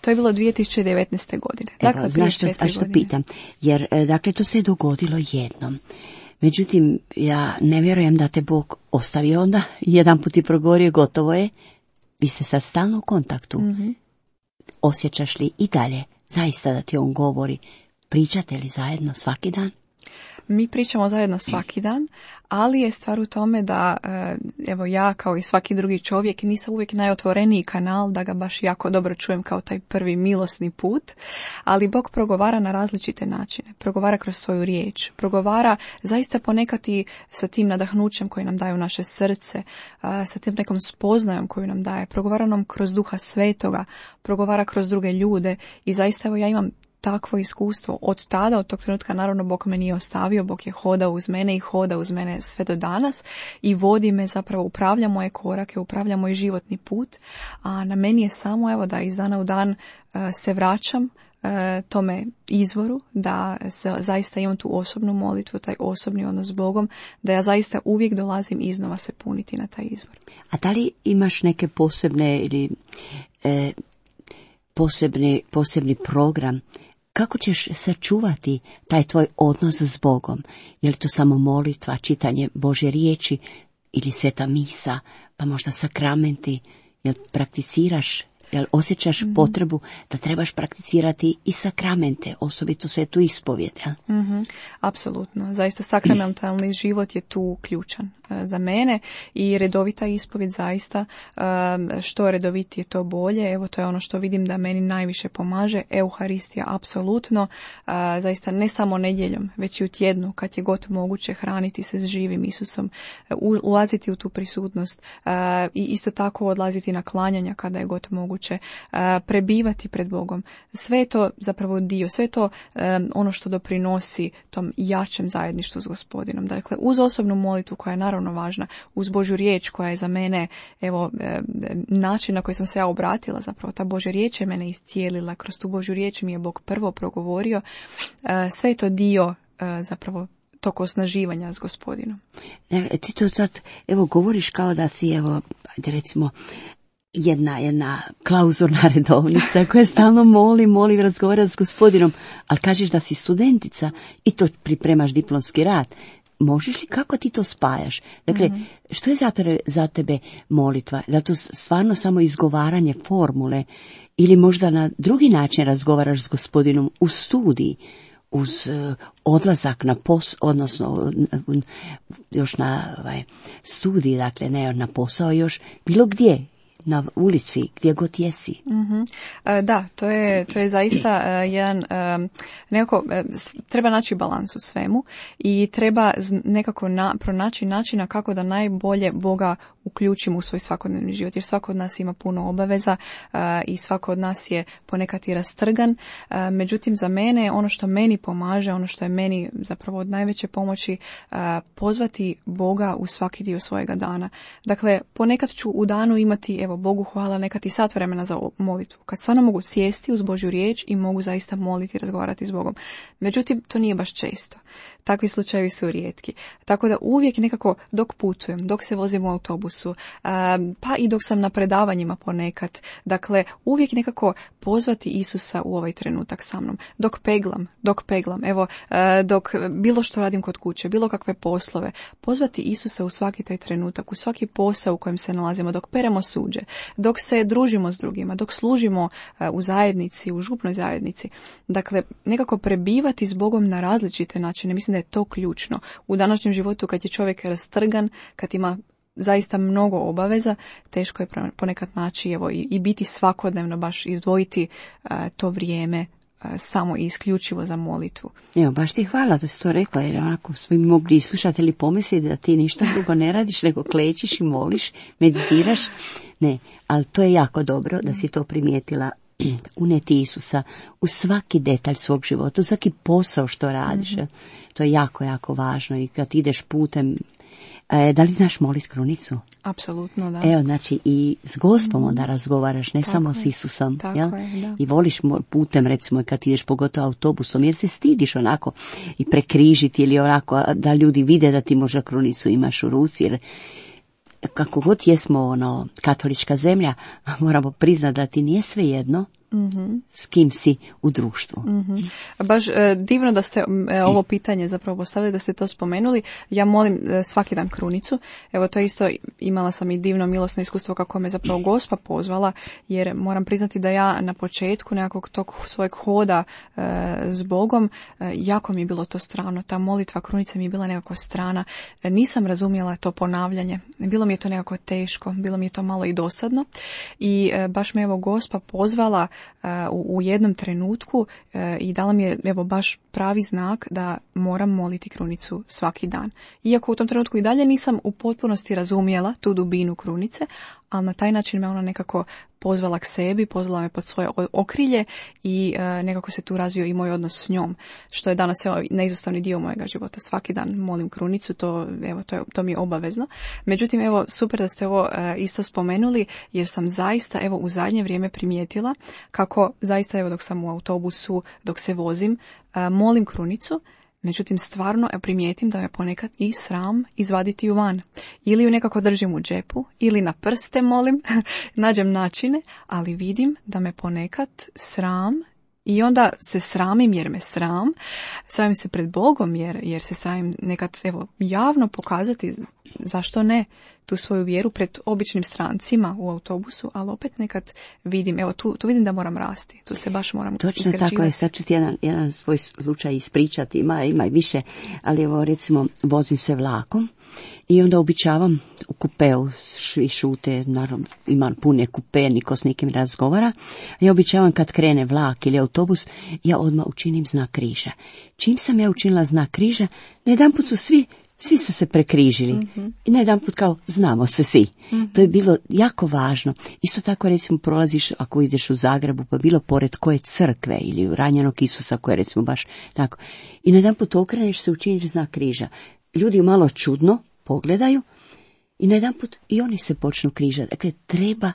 To je bilo 2019. godine. Dakle, znaš što pitam? Jer, dakle, to se je dogodilo jednom. Međutim, ja ne vjerujem da te Bog ostavio onda. Jedan put i progovorio, gotovo je. Vi ste sad stalno u kontaktu. Mm-hmm. Osjećaš li i dalje zaista da ti on govori? Pričate li zajedno svaki dan? Mi pričamo zajedno svaki dan, ali je stvar u tome da ja kao i svaki drugi čovjek nisam uvijek najotvoreniji kanal da ga baš jako dobro čujem kao taj prvi milosni put, ali Bog progovara na različite načine, progovara kroz svoju riječ, progovara zaista ponekad i sa tim nadahnućem koji nam daje u naše srce, sa tim nekom spoznajom koju nam daje, progovara nam kroz Duha Svetoga, progovara kroz druge ljude i zaista ja imam takvo iskustvo od tada, od tog trenutka naravno Bog me nije ostavio, Bog je hodao uz mene i hoda uz mene sve do danas i vodi me, zapravo upravlja moje korake, upravlja moj životni put, a na meni je samo da iz dana u dan se vraćam tome izvoru, da zaista imam tu osobnu molitvu, taj osobni odnos s Bogom, da ja zaista uvijek dolazim iznova se puniti na taj izvor. A da li imaš neke posebne ili posebni program? Kako ćeš sačuvati taj tvoj odnos s Bogom? Je li to samo molitva, čitanje Božje riječi ili sveta misa, pa možda sakramenti? Jel prakticiraš, jel osjećaš potrebu da trebaš prakticirati i sakramente, osobito svetu ispovijed? Apsolutno. Zaista sakramentalni život je tu ključan za mene i redovita ispovijed zaista, što redovitije to bolje. To je ono što vidim da meni najviše pomaže. Euharistija apsolutno, zaista ne samo nedjeljom, već i u tjednu kad je god moguće hraniti se s živim Isusom, ulaziti u tu prisutnost i isto tako odlaziti na klanjanja kada je god moguće, prebivati pred Bogom. Sve je to zapravo dio, sve je to ono što doprinosi tom jačem zajedništvu s Gospodinom. Dakle, uz osobnu molitvu koja je naravno naravno važna, uz Božju riječ koja je za mene, evo, način na koji sam se ja obratila, zapravo ta Božja riječ je mene iscijelila, kroz tu Božju riječ mi je Bog prvo progovorio, sve je to dio zapravo tog osnaživanja s Gospodinom. Ti to sad, evo, govoriš kao da si, evo, ajde recimo, jedna klauzurna redovnica koja stalno moli, razgovara s Gospodinom, ali kažeš da si studentica i to pripremaš diplomski rad. Možeš li, kako ti to spajaš? Dakle, što je za tebe molitva? Da to stvarno samo izgovaranje formule ili možda na drugi način razgovaraš s Gospodinom u studiji, uz odlazak na odnosno još na studij, dakle ne na posao, još bilo gdje, na ulici, gdje god jesi. Da, to je zaista jedan, nekako, treba naći balans u svemu i treba nekako pronaći načina kako da najbolje Boga uključimo u svoj svakodnevni život, jer svako od nas ima puno obaveza i svako od nas je ponekad i rastrgan. Međutim, za mene, ono što meni pomaže, ono što je meni zapravo od najveće pomoći, pozvati Boga u svaki dio svojega dana. Dakle, ponekad ću u danu imati, evo, Bogu hvala, nekad i sat vremena za molitvu, kad stvarno mogu sjesti uz Božju riječ i mogu zaista moliti i razgovarati s Bogom. Međutim, to nije baš često. Takvi slučajevi su rijetki. Tako da uvijek nekako dok putujem, dok se vozim u autobusu, pa i dok sam na predavanjima ponekad, dakle uvijek nekako pozvati Isusa u ovaj trenutak sa mnom. Dok peglam, evo, dok bilo što radim kod kuće, bilo kakve poslove, pozvati Isusa u svaki taj trenutak, u svaki posao u kojem se nalazimo, dok peremo suđe, dok se družimo s drugima, dok služimo u zajednici, u župnoj zajednici. Dakle, nekako prebivati s Bogom na različite načine. Mislim da je to ključno. U današnjem životu kad je čovjek rastrgan, kad ima zaista mnogo obaveza, teško je ponekad naći, evo, i biti svakodnevno, baš izdvojiti to vrijeme samo i isključivo za molitvu. Evo, baš ti hvala da si to rekla, jer onako svi mogli i slušatelji pomisliti da ti ništa drugo ne radiš, nego klečiš i moliš, meditiraš. Ne, ali to je jako dobro da si to primijetila. Uneti Isusa u svaki detalj svog života, u svaki posao što radiš. To je jako, jako važno. I kad ideš putem, da li znaš moliti krunicu? Apsolutno, da. Evo, znači i s Gospom onda razgovaraš, ne tako samo je. s Isusom. Tako jel? je, da. I voliš putem, recimo, kad ideš pogotovo autobusom, jer se stidiš onako i prekrižiti ili onako da ljudi vide da ti možda krunicu imaš u ruci, jer kako god jesmo katolička zemlja, moramo priznati da ti nije svejedno s kim si u društvu. Baš divno da ste ovo pitanje zapravo postavili, da ste to spomenuli. Ja molim svaki dan krunicu. Evo, to isto imala sam i divno milosno iskustvo kako me zapravo Gospa pozvala, jer moram priznati da ja na početku nekakvog tog svojeg hoda s Bogom, jako mi je bilo to strano. Ta molitva krunice mi je bila nekako strana. Nisam razumjela to ponavljanje. Bilo mi je to nekako teško, bilo mi je to malo i dosadno. I baš me evo Gospa pozvala u jednom trenutku i dala mi je evo baš pravi znak da moram moliti krunicu svaki dan. Iako u tom trenutku i dalje nisam u potpunosti razumjela tu dubinu krunice, ali na taj način me ona nekako pozvala k sebi, pozvala me pod svoje okrilje i nekako se tu razvio i moj odnos s njom, što je danas neizostavni dio mojega života. Svaki dan molim krunicu, to mi je obavezno. Međutim, evo, super da ste ovo isto spomenuli, jer sam zaista evo u zadnje vrijeme primijetila kako zaista evo dok sam u autobusu, dok se vozim, molim krunicu. Međutim, stvarno primijetim da me ponekad i sram izvaditi ju van. Ili ju nekako držim u džepu, ili na prste molim, nađem načine, ali vidim da me ponekad sram i onda se sramim jer me sramim se pred Bogom jer se sramim nekad evo javno pokazati, zašto ne, tu svoju vjeru pred običnim strancima u autobusu, ali opet nekad vidim, evo tu vidim da moram rasti, tu se baš moram izgrađivati. Točno tako je, sad ću ti jedan svoj slučaj ispričati, ima i više, ali evo recimo vozim se vlakom i onda običavam u kupeu i šute, naravno imam pune kupe, niko s nikim razgovara, ja običavam kad krene vlak ili autobus, ja odmah učinim znak križa. Čim sam ja učinila znak križa, najedanput su svi su se prekrižili. I najedanput kao znamo se svi. To je bilo jako važno. Isto tako recimo prolaziš ako ideš u Zagrebu pa bilo pored koje crkve ili u ranjenog Isusa koje recimo baš tako. I najedanput okreneš se, učiniš znak križa. Ljudi malo čudno pogledaju i najedanput i oni se počnu križati. Dakle, treba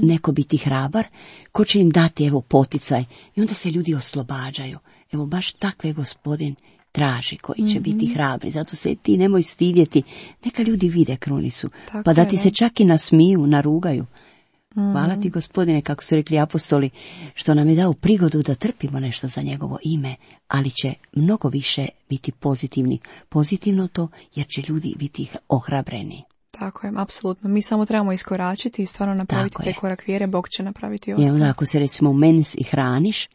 neko biti hrabar ko će im dati evo poticaj i onda se ljudi oslobađaju. Evo baš takve Gospodin traži koji će biti hrabri. Zato se ti nemoj stidjeti. Neka ljudi vide krunicu. Tako pa da je, ti se čak i nasmiju, narugaju. Hvala ti Gospodine, kako su rekli apostoli, što nam je dao prigodu da trpimo nešto za njegovo ime, ali će mnogo više biti pozitivni. Pozitivno to, jer će ljudi biti ohrabreni. Tako je, apsolutno. Mi samo trebamo iskoračiti i stvarno napraviti taj korak vjere, Bog će napraviti ostalo. I onda ako se recimo mens i hraniš,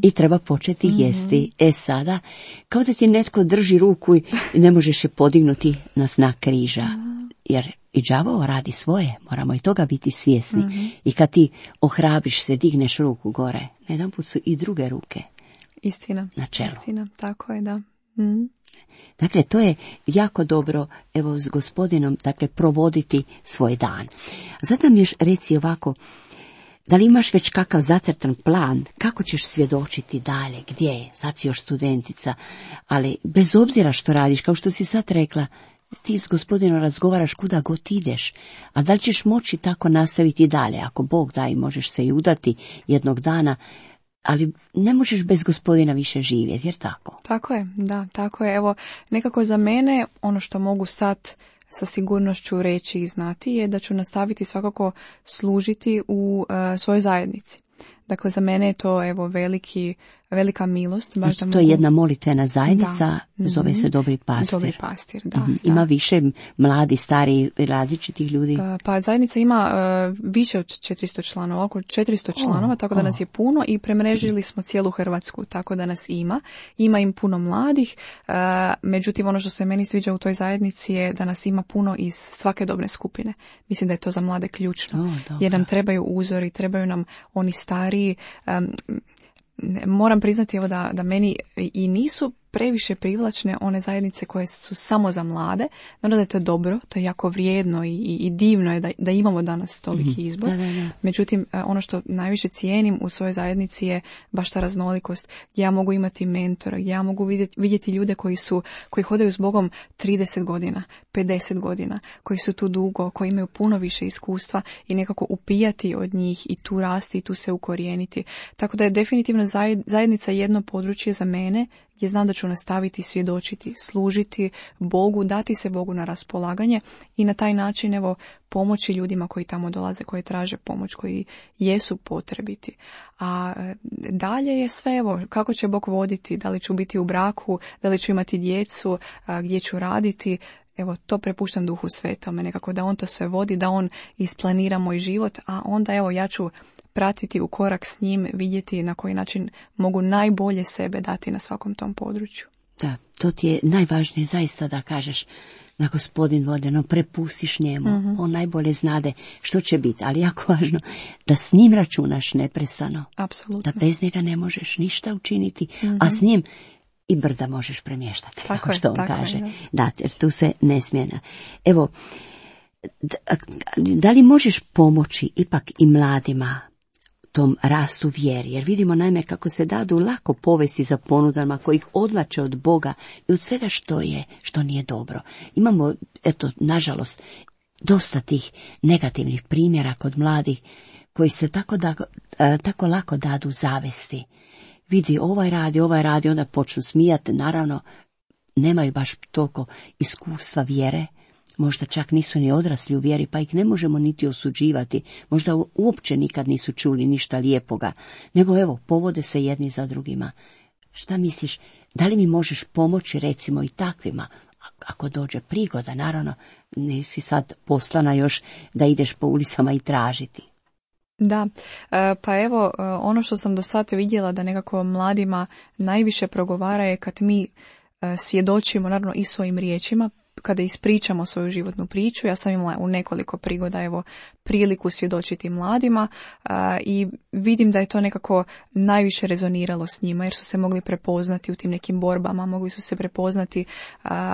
i treba početi jesti. Sada, kao da ti netko drži ruku i ne možeš je podignuti na znak križa. Jer i đavao radi svoje, moramo i toga biti svjesni. I kad ti ohrabriš se, digneš ruku gore, na jedan put su i druge ruke. Istina. Na čelu. Istina, tako je, da. Dakle, to je jako dobro, evo, s Gospodinom, dakle, provoditi svoj dan. Zato nam još reci ovako, da li imaš već kakav zacrtan plan, kako ćeš svjedočiti dalje, gdje je, sad si još studentica, ali bez obzira što radiš, kao što si sad rekla, ti s Gospodinom razgovaraš kuda god ideš, a da li ćeš moći tako nastaviti dalje, ako Bog da i možeš se i udati jednog dana, ali ne možeš bez Gospodina više živjeti, jer tako? Tako je, da, tako je. Evo, nekako za mene, ono što mogu sad sa sigurnošću reći i znati je da ću nastaviti svakako služiti u svojoj zajednici. Dakle, za mene je to evo velika milost. Baš da to je jedna molitvena zajednica, zove se Dobri pastir. Dobri pastir, da. Ima više mladi, stari, različitih ljudi? Pa zajednica ima više od 400 članova, oko 400 članova, tako da nas je puno i premrežili smo cijelu Hrvatsku, tako da nas ima. Ima im puno mladih, međutim ono što se meni sviđa u toj zajednici je da nas ima puno iz svake dobne skupine. Mislim da je to za mlade ključno, jer nam trebaju uzori, trebaju nam oni stariji. Moram priznati evo da meni i nisu previše privlačne one zajednice koje su samo za mlade. Naravno da je to dobro, to je jako vrijedno i divno je da imamo danas toliki izbor. Da. Međutim, ono što najviše cijenim u svojoj zajednici je baš ta raznolikost, gdje ja mogu imati mentora, gdje ja mogu vidjeti ljude koji hodaju s Bogom 30 godina, 50 godina, koji su tu dugo, koji imaju puno više iskustva i nekako upijati od njih i tu rasti i tu se ukorijeniti. Tako da je definitivno zajednica jedno područje za mene gdje znam da ću nastaviti svjedočiti, služiti Bogu, dati se Bogu na raspolaganje i na taj način evo pomoći ljudima koji tamo dolaze, koji traže pomoć, koji jesu potrebiti. A dalje je sve evo kako će Bog voditi, da li ću biti u braku, da li ću imati djecu, gdje ću raditi. Evo, to prepuštam Duhu Svetome, nekako da on to sve vodi, da on isplanira moj život, a onda evo ja ću pratiti u korak s njim, vidjeti na koji način mogu najbolje sebe dati na svakom tom području. Da, to ti je najvažnije zaista da kažeš da Gospodin vode, no prepustiš njemu, on najbolje znade što će biti, ali jako važno da s njim računaš neprestano. Apsolutno. Da bez njega ne možeš ništa učiniti, a s njim i brda možeš premještati, tako što on tako kaže. Je, da, jer tu se ne smije. Evo, da li možeš pomoći ipak i mladima tom rastu vjeri, jer vidimo naime kako se dadu lako povesti za ponudama koji ih odvlače od Boga i od svega što nije dobro. Imamo, eto, nažalost, dosta tih negativnih primjera kod mladih koji se tako lako dadu zavesti. Vidi, ovaj radi, onda počnu smijati, naravno, nemaju baš toliko iskustva vjere, možda čak nisu ni odrasli u vjeri, pa ih ne možemo niti osuđivati, možda uopće nikad nisu čuli ništa lijepoga, nego evo, povode se jedni za drugima. Šta misliš, da li mi možeš pomoći recimo i takvima, ako dođe prigoda, naravno, nisi sad poslana još da ideš po ulicama i tražiti. Da, pa evo, ono što sam do sada vidjela da nekako mladima najviše progovara je kad mi svjedočimo, naravno i svojim riječima, kada ispričamo svoju životnu priču. Ja sam imala u nekoliko prigoda evo priliku svjedočiti mladima i vidim da je to nekako najviše rezoniralo s njima jer su se mogli prepoznati u tim nekim borbama, mogli su se prepoznati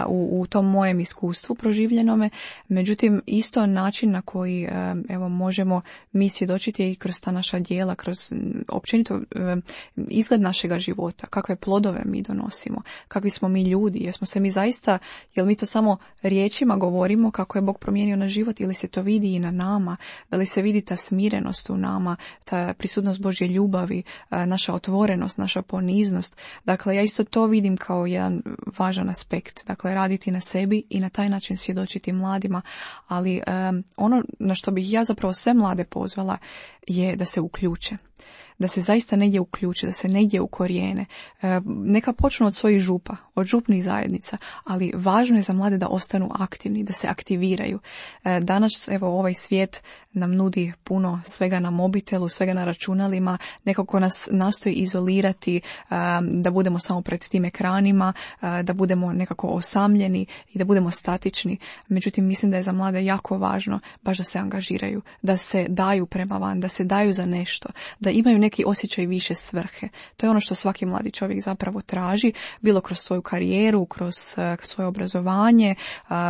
u tom mojem iskustvu proživljenome. Međutim, isto način na koji evo možemo mi svjedočiti i kroz ta naša djela, kroz općenito izgled našega života, kakve plodove mi donosimo, kakvi smo mi ljudi, jesmo se mi zaista, jel mi to samo riječima govorimo kako je Bog promijenio naš život ili se to vidi i na nama, da li se vidi ta smirenost u nama, ta prisutnost Božje ljubavi, naša otvorenost, naša poniznost. Dakle, ja isto to vidim kao jedan važan aspekt, dakle raditi na sebi i na taj način svjedočiti mladima, ali ono na što bih ja zapravo sve mlade pozvala je da se uključe. Da se zaista negdje uključe, da se negdje ukorijene. Neka počnu od svojih župa, od župnih zajednica, ali važno je za mlade da ostanu aktivni, da se aktiviraju. Danas, evo, ovaj svijet nam nudi puno svega na mobitelu, svega na računalima, nekako nas nastoji izolirati, da budemo samo pred tim ekranima, da budemo nekako osamljeni i da budemo statični. Međutim, mislim da je za mlade jako važno baš da se angažiraju, da se daju prema van, da se daju za nešto, da imaju neki osjećaj više svrhe. To je ono što svaki mladi čovjek zapravo traži, bilo kroz svoju karijeru, kroz svoje obrazovanje,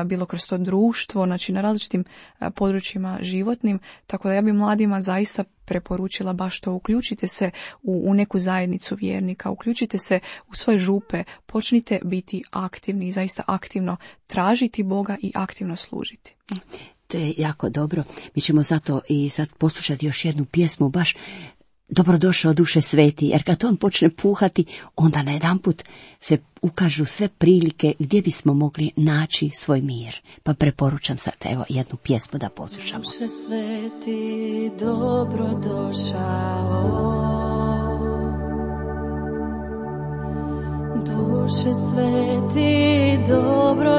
bilo kroz to društvo, znači na različitim područjima životnim. Tako da ja bi mladima zaista preporučila baš to, uključite se u neku zajednicu vjernika, uključite se u svoje župe, počnite biti aktivni i zaista aktivno tražiti Boga i aktivno služiti. To je jako dobro. Mi ćemo zato i sad poslušati još jednu pjesmu, baš Dobrodošao duše sveti, jer kad on počne puhati, onda najedanput se ukažu sve prilike gdje bismo mogli naći svoj mir. Pa preporučam sad evo jednu pjesmu da poslušamo. Duše sveti, dobrodošao. Duše sveti, dobrodošao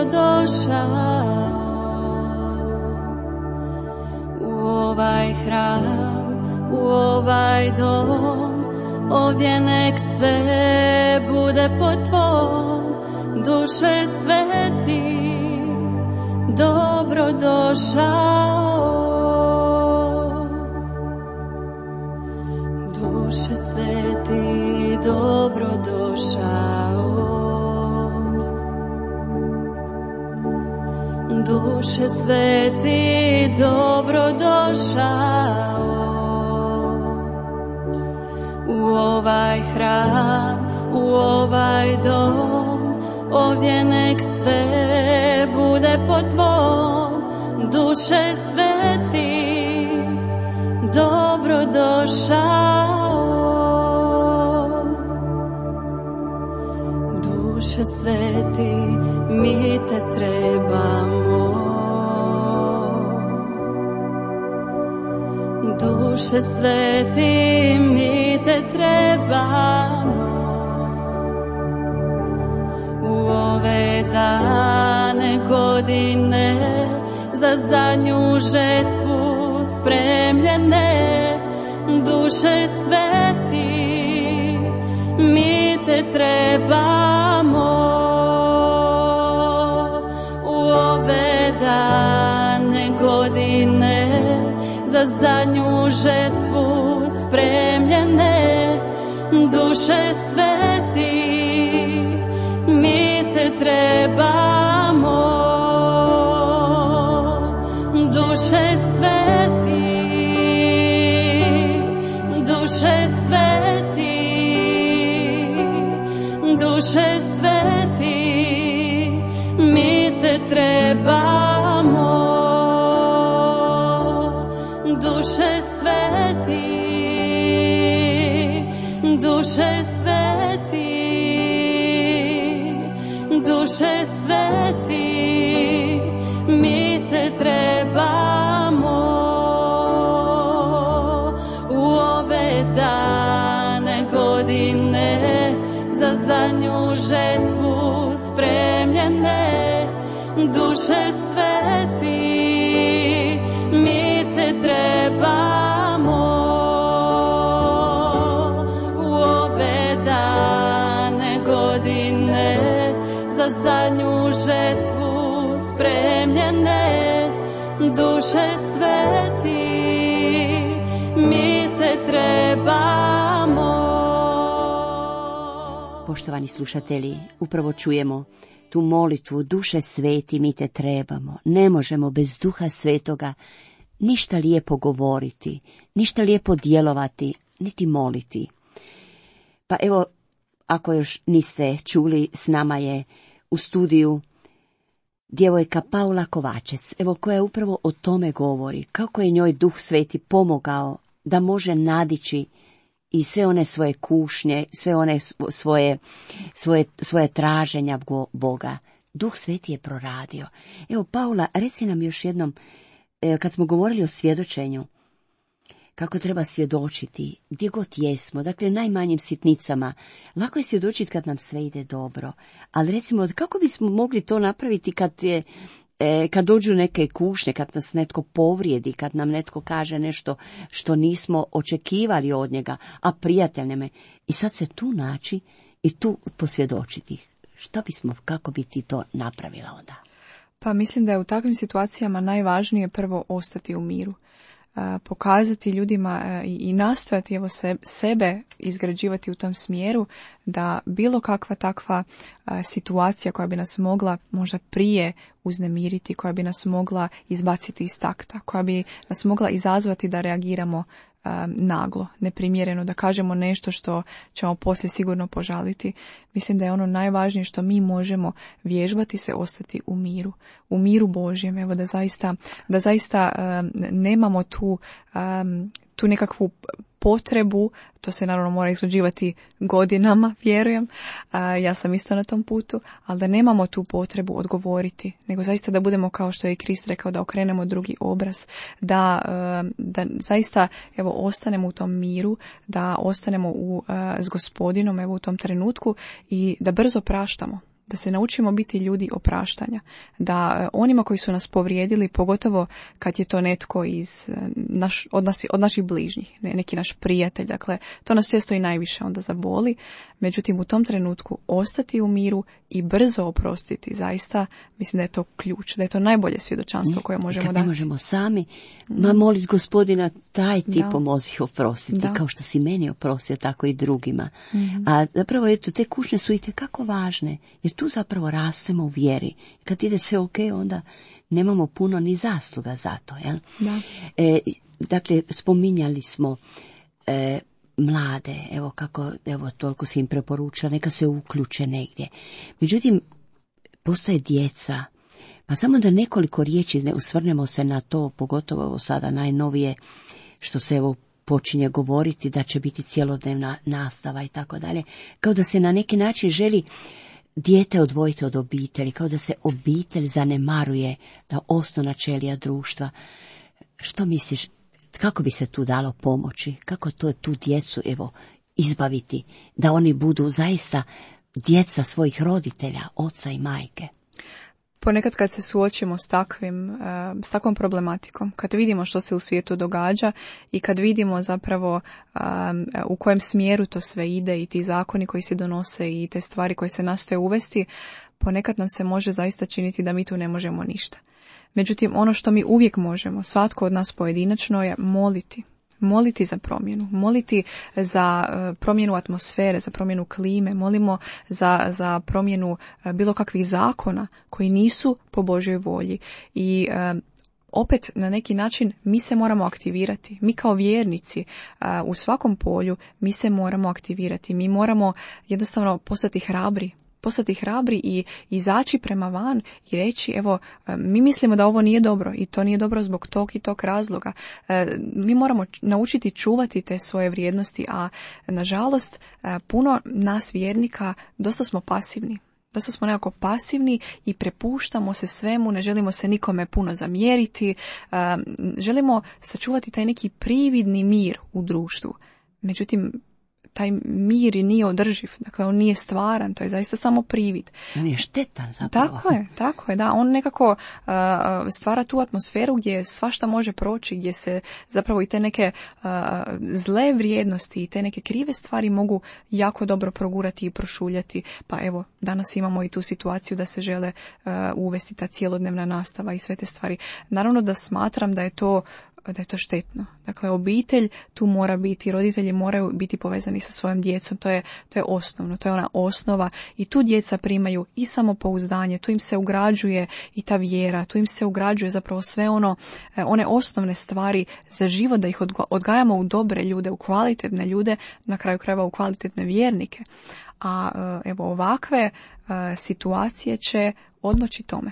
u ovaj hram, u ovaj dom, ovdje nek sve bude po tvom. Duše sveti, dobrodošao. Duše sveti, dobrodošao. Duše sveti, dobrodošao u ovaj hram, u ovaj dom, ovdje nek sve bude po tvom. Duše sveti, dobrodošao. Duše sveti, mi te trebamo. Duše sveti, mi te trebamo. U ove dane godine za zadnju žetvu spremljene. Duše sveti, mi te trebamo. U ove dane godine za zadnju žetvu spremljene. Duše sveti, mi te trebamo. Duše sveti, duše sveti, duše sveti, mi te trebamo. Duše sveti, duše sveti, duše sveti, mi te trebamo. U ove dane godine za zadnju žetvu spremljene. Duše sveti, mi te trebamo. U ove dane godine za zadnju žetvu spremljene. duše sveti, mi te trebamo. Poštovani slušatelji, upravo čujemo tu molitvu, duše sveti, mi te trebamo. Ne možemo bez Duha Svetoga ništa lijepo govoriti, ništa lijepo djelovati, niti moliti. Pa evo, ako još niste čuli, s nama je u studiju djevojka Paula Kovačec, evo koja upravo o tome govori, kako je njoj Duh Sveti pomogao da može nadići i sve one svoje kušnje, sve one svoje traženja Boga. Duh Sveti je proradio. Evo, Paula, reci nam još jednom, kad smo govorili o svjedočenju, kako treba svjedočiti, gdje god jesmo, dakle najmanjim sitnicama. Lako je svjedočiti kad nam sve ide dobro, ali recimo kako bismo mogli to napraviti kad dođu neke kušnje, kad nas netko povrijedi, kad nam netko kaže nešto što nismo očekivali od njega, a prijatelj nam je. I sad se tu naći i tu posvjedočiti. Kako bi ti to napravila onda? Pa mislim da je u takvim situacijama najvažnije prvo ostati u miru. Pokazati ljudima i nastojati sebe izgrađivati u tom smjeru da bilo kakva takva situacija koja bi nas mogla možda prije uznemiriti, koja bi nas mogla izbaciti iz takta, koja bi nas mogla izazvati da reagiramo naglo, neprimjereno, da kažemo nešto što ćemo poslije sigurno požaliti. Mislim da je ono najvažnije što mi možemo vježbati se ostati u miru Božjem, evo da zaista nemamo tu nekakvu potrebu, to se naravno mora izgrađivati godinama, vjerujem, ja sam isto na tom putu, ali da nemamo tu potrebu odgovoriti, nego zaista da budemo, kao što je i Krist rekao, da okrenemo drugi obraz, da zaista evo ostanemo u tom miru, da ostanemo s Gospodinom evo u tom trenutku i da brzo praštamo. Da se naučimo biti ljudi opraštanja, da onima koji su nas povrijedili, pogotovo kad je to netko od naših bližnjih, neki naš prijatelj, dakle to nas često i najviše onda zaboli, međutim u tom trenutku ostati u miru i brzo oprostiti, zaista mislim da je to ključ, da je to najbolje svjedočanstvo koje možemo dati. Kad ne možemo sami, molit Gospodina, taj ti pomozi oprostiti, kao što si meni oprostio, tako i drugima. A zapravo eto, te kušnje su itekako važne, jer tu zapravo rastemo u vjeri. Kad ide sve ok, onda nemamo puno ni zasluga za to. Jel? Da. Dakle, spominjali smo mlade, evo toliko se im preporuča, neka se uključe negdje. Međutim, postoje djeca, pa samo da nekoliko riječi usvrnemo se na to, pogotovo sada najnovije, što se evo počinje govoriti da će biti cjelodnevna nastava i tako dalje, kao da se na neki način želi dijete odvojiti od obitelji, kao da se obitelj zanemaruje, da osnovna ćelija društva. Što misliš, kako bi se tu dalo pomoći? Kako tu djecu izbaviti, da oni budu zaista djeca svojih roditelja, oca i majke? Ponekad kad se suočimo s takvom problematikom, kad vidimo što se u svijetu događa i kad vidimo zapravo u kojem smjeru to sve ide i ti zakoni koji se donose i te stvari koje se nastoje uvesti, ponekad nam se može zaista činiti da mi tu ne možemo ništa. Međutim, ono što mi uvijek možemo, svatko od nas pojedinačno, je moliti za promjenu, moliti za promjenu atmosfere, za promjenu klime, molimo za promjenu bilo kakvih zakona koji nisu po Božjoj volji. I opet na neki način mi se moramo aktivirati. Mi kao vjernici u svakom polju mi se moramo aktivirati. Mi moramo jednostavno postati hrabri i izaći prema van i reći, evo, mi mislimo da ovo nije dobro i to nije dobro zbog tog i tog razloga. Mi moramo naučiti čuvati te svoje vrijednosti, a nažalost puno nas vjernika dosta smo pasivni. Dosta smo nekako pasivni i prepuštamo se svemu, ne želimo se nikome puno zamjeriti, želimo sačuvati taj neki prividni mir u društvu. Međutim, taj mir i nije održiv, dakle on nije stvaran, to je zaista samo privid. On je štetan zapravo. Tako je, da, on nekako stvara tu atmosferu gdje svašta može proći, gdje se zapravo i te neke zle vrijednosti i te neke krive stvari mogu jako dobro progurati i prošuljati, pa evo, danas imamo i tu situaciju da se žele uvesti ta cjelodnevna nastava i sve te stvari. Naravno da smatram da je to štetno. Dakle, obitelj tu mora biti, roditelji moraju biti povezani sa svojom djecom, to je osnovno, to je ona osnova i tu djeca primaju i samopouzdanje, tu im se ugrađuje i ta vjera, tu im se ugrađuje zapravo sve one osnovne stvari za život, da ih odgajamo u dobre ljude, u kvalitetne ljude, na kraju krajeva u kvalitetne vjernike. A evo ovakve situacije će odmoći tome.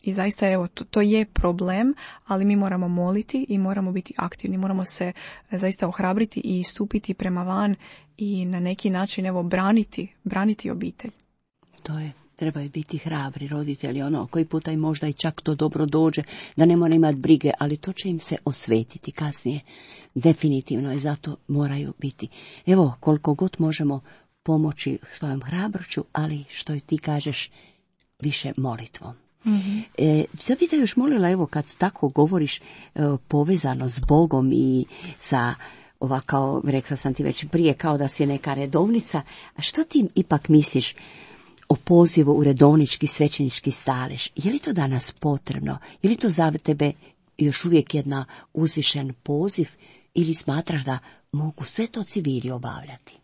I zaista, evo, to je problem, ali mi moramo moliti i moramo biti aktivni, moramo se zaista ohrabriti i stupiti prema van i na neki način, evo, braniti obitelj. Trebaju biti hrabri roditelji, koji puta i možda i čak to dobro dođe, da ne mora imati brige, ali to će im se osvetiti kasnije. Definitivno je, zato moraju biti. Evo, koliko god možemo pomoći svojom hrabroću, ali što i ti kažeš, više molitvom. Mm-hmm. Što bi te još molila, evo, kad tako govoriš povezano s Bogom i sa kao rekla sam ti već prije, kao da si neka redovnica, a što ti ipak misliš o pozivu u redovnički svećenički stalež? Je li to danas potrebno? Je li to za tebe još uvijek jedna uzvišen poziv ili smatraš da mogu sve to civili obavljati?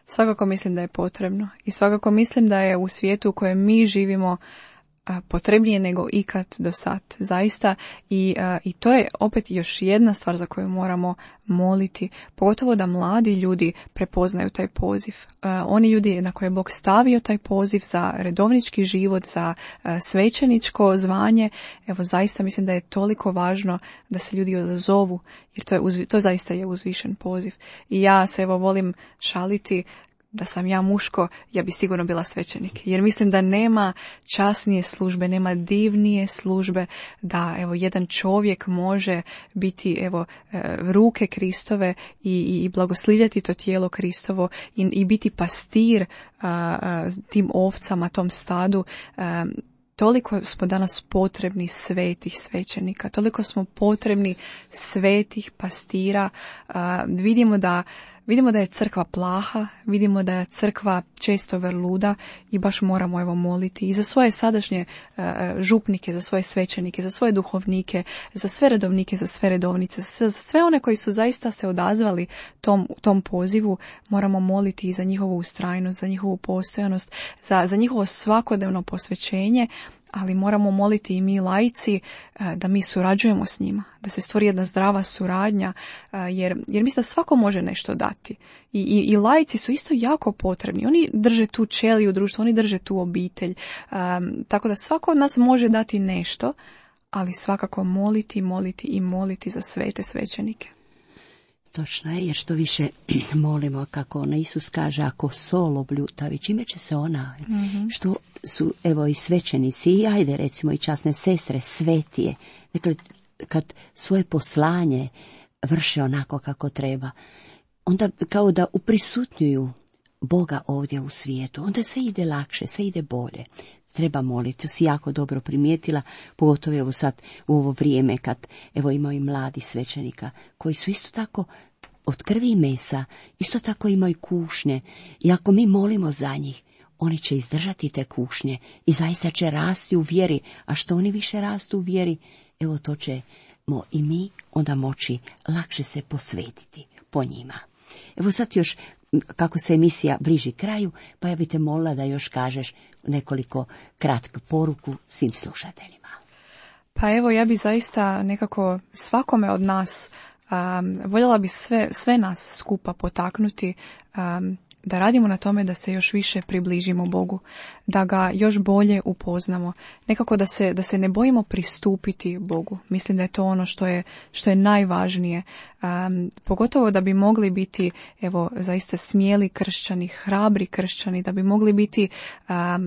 Svakako mislim da je potrebno i svakako mislim da je u svijetu u kojem mi živimo potrebnije nego ikad do sad, zaista, i to je opet još jedna stvar za koju moramo moliti, pogotovo da mladi ljudi prepoznaju taj poziv. Oni ljudi na koje je Bog stavio taj poziv za redovnički život, za svećeničko zvanje, evo zaista mislim da je toliko važno da se ljudi odazovu, jer to zaista je uzvišen poziv. I ja se evo volim šaliti da sam ja muško, ja bi sigurno bila svećenik. Jer mislim da nema časnije službe, nema divnije službe da evo jedan čovjek može biti evo ruke Kristove i blagoslivljati to tijelo Kristovo i biti pastir tim ovcama, tom stadu. Toliko smo danas potrebni svetih svećenika, toliko smo potrebni svetih pastira. Vidimo da je crkva plaha, vidimo da je crkva često vrluda i baš moramo evo moliti i za svoje sadašnje župnike, za svoje svećenike, za svoje duhovnike, za sve redovnike, za sve redovnice, za sve one koji su zaista se odazvali tom pozivu, moramo moliti i za njihovu ustrajnost, za njihovu postojanost, za njihovo svakodnevno posvećenje, ali moramo moliti i mi laici da mi surađujemo s njima, da se stvori jedna zdrava suradnja, jer mislim da svako može nešto dati. I laici su isto jako potrebni. Oni drže tu ćeliju društva, oni drže tu obitelj. Tako da svako od nas može dati nešto, ali svakako moliti za svete svećenike. Točno je, jer što više molimo, kako ona Isus kaže, ako sol obljutavi, čime će se ona, što su evo i svećenici, i ajde recimo i časne sestre, svetije, dakle kad svoje poslanje vrše onako kako treba, onda kao da uprisutnjuju Boga ovdje u svijetu, onda sve ide lakše, sve ide bolje. Treba moliti, to si jako dobro primijetila, pogotovo evo sad u ovo vrijeme kad evo imaju i mladi svećenika koji su isto tako od krvi i mesa, isto tako imaju kušnje i ako mi molimo za njih, oni će izdržati te kušnje i zaista će rasti u vjeri, a što oni više rastu u vjeri, evo to ćemo i mi onda moći lakše se posvetiti po njima. Evo sad još, kako se emisija bliži kraju, pa ja bih te molila da još kažeš nekoliko kratku poruku svim slušateljima. Pa evo, ja bi zaista nekako svakome od nas voljela bi sve nas skupa potaknuti da radimo na tome da se još više približimo Bogu, da ga još bolje upoznamo, nekako da se ne bojimo pristupiti Bogu. Mislim da je to ono što je najvažnije, pogotovo da bi mogli biti evo zaista smjeli kršćani, hrabri kršćani, da bi mogli biti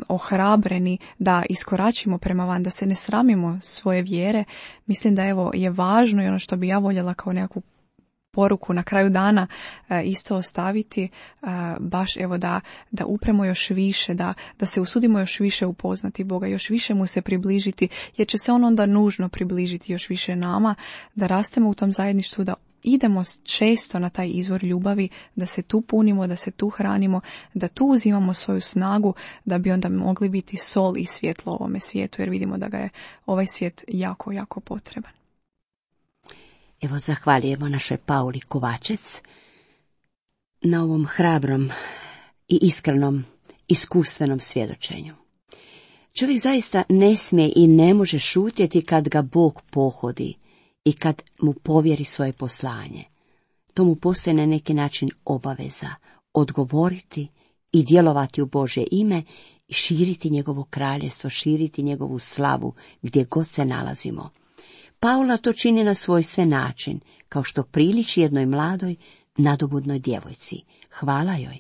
ohrabreni da iskoračimo prema van, da se ne sramimo svoje vjere. Mislim da evo je važno i ono što bi ja voljela kao nekakvu poruku na kraju dana isto ostaviti, baš evo da upremo još više, da se usudimo još više upoznati Boga, još više mu se približiti, jer će se on onda nužno približiti još više nama, da rastemo u tom zajedništvu, da idemo često na taj izvor ljubavi, da se tu punimo, da se tu hranimo, da tu uzimamo svoju snagu, da bi onda mogli biti sol i svjetlo ovome svijetu, jer vidimo da ga je ovaj svijet jako, jako potreban. Evo, zahvaljujemo našoj Pauli Kovačec na ovom hrabrom i iskrenom, iskustvenom svjedočenju. Čovjek zaista ne smije i ne može šutjeti kad ga Bog pohodi i kad mu povjeri svoje poslanje. To mu postaje na neki način obaveza odgovoriti i djelovati u Božje ime i širiti njegovo kraljestvo, širiti njegovu slavu gdje god se nalazimo. Paula to čini na svojstven način, kao što priliči jednoj mladoj, nadobudnoj djevojci. Hvala joj,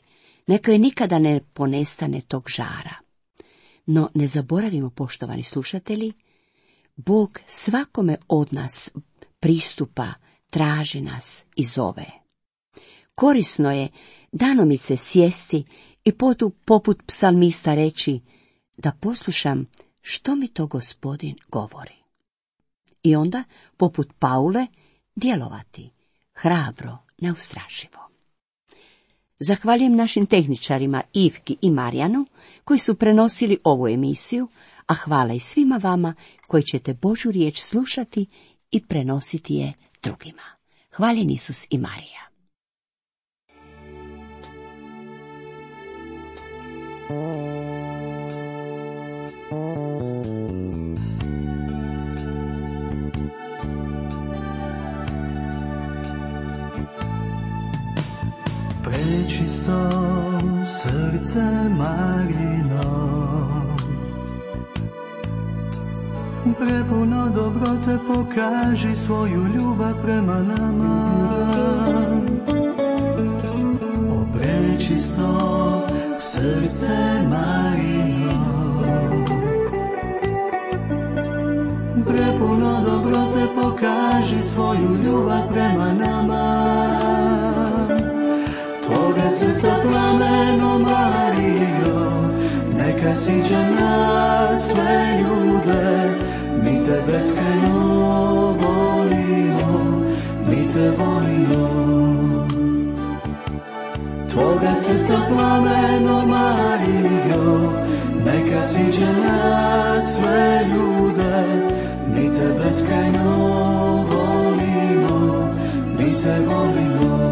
neka joj nikada ne ponestane tog žara. No ne zaboravimo, poštovani slušatelji, Bog svakome od nas pristupa, traži nas i zove. Korisno je danomice sjesti i poput psalmista reći da poslušam što mi to Gospodin govori. I onda, poput Paule, djelovati hrabro, neustrašivo. Zahvaljujem našim tehničarima Ivki i Marijanu koji su prenosili ovu emisiju, a hvala i svima vama koji ćete Božju riječ slušati i prenositi je drugima. Hvaljen Isus i Marija. Prečisto srce Marino, prepuno dobrote, pokaži svoju ljubav prema nama. O prečisto srce Marino, prepuno dobrote, pokaži svoju ljubav prema nama. Tvoga srca plameno, Marijo, neka siđe na sve ljude. Mi te beskrajno volimo, mi te volimo. Tvoga srca plameno, Marijo, neka siđe na sve ljude. Mi te beskrajno volimo, mi te volimo.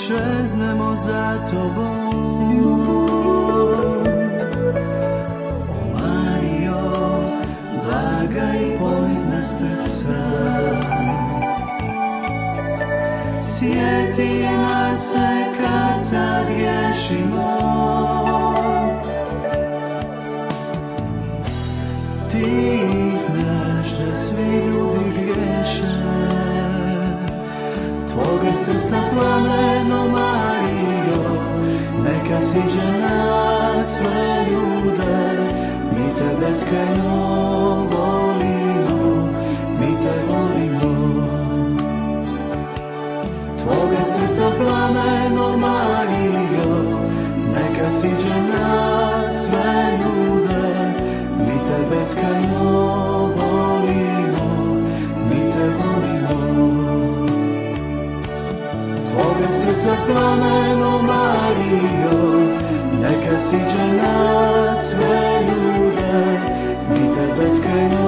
Čeznemo za tobom, o Marijo, blaga i ponizna srca. Sjeti nas se kad sagriješimo, ti znaš da svi ljudi griješe. Tvoga srca plameno, Marijo, neka siđe na sve ljude. Mi te beskrajno volimo, mi te volimo. Tvoga srca plameno, Marijo, neka siđe na sve ljude. Mi te beskrajno volimo, mi te volimo. Tvoga srca plameno, Marijo, neka siđe na sve ljude. Mi te beskrajno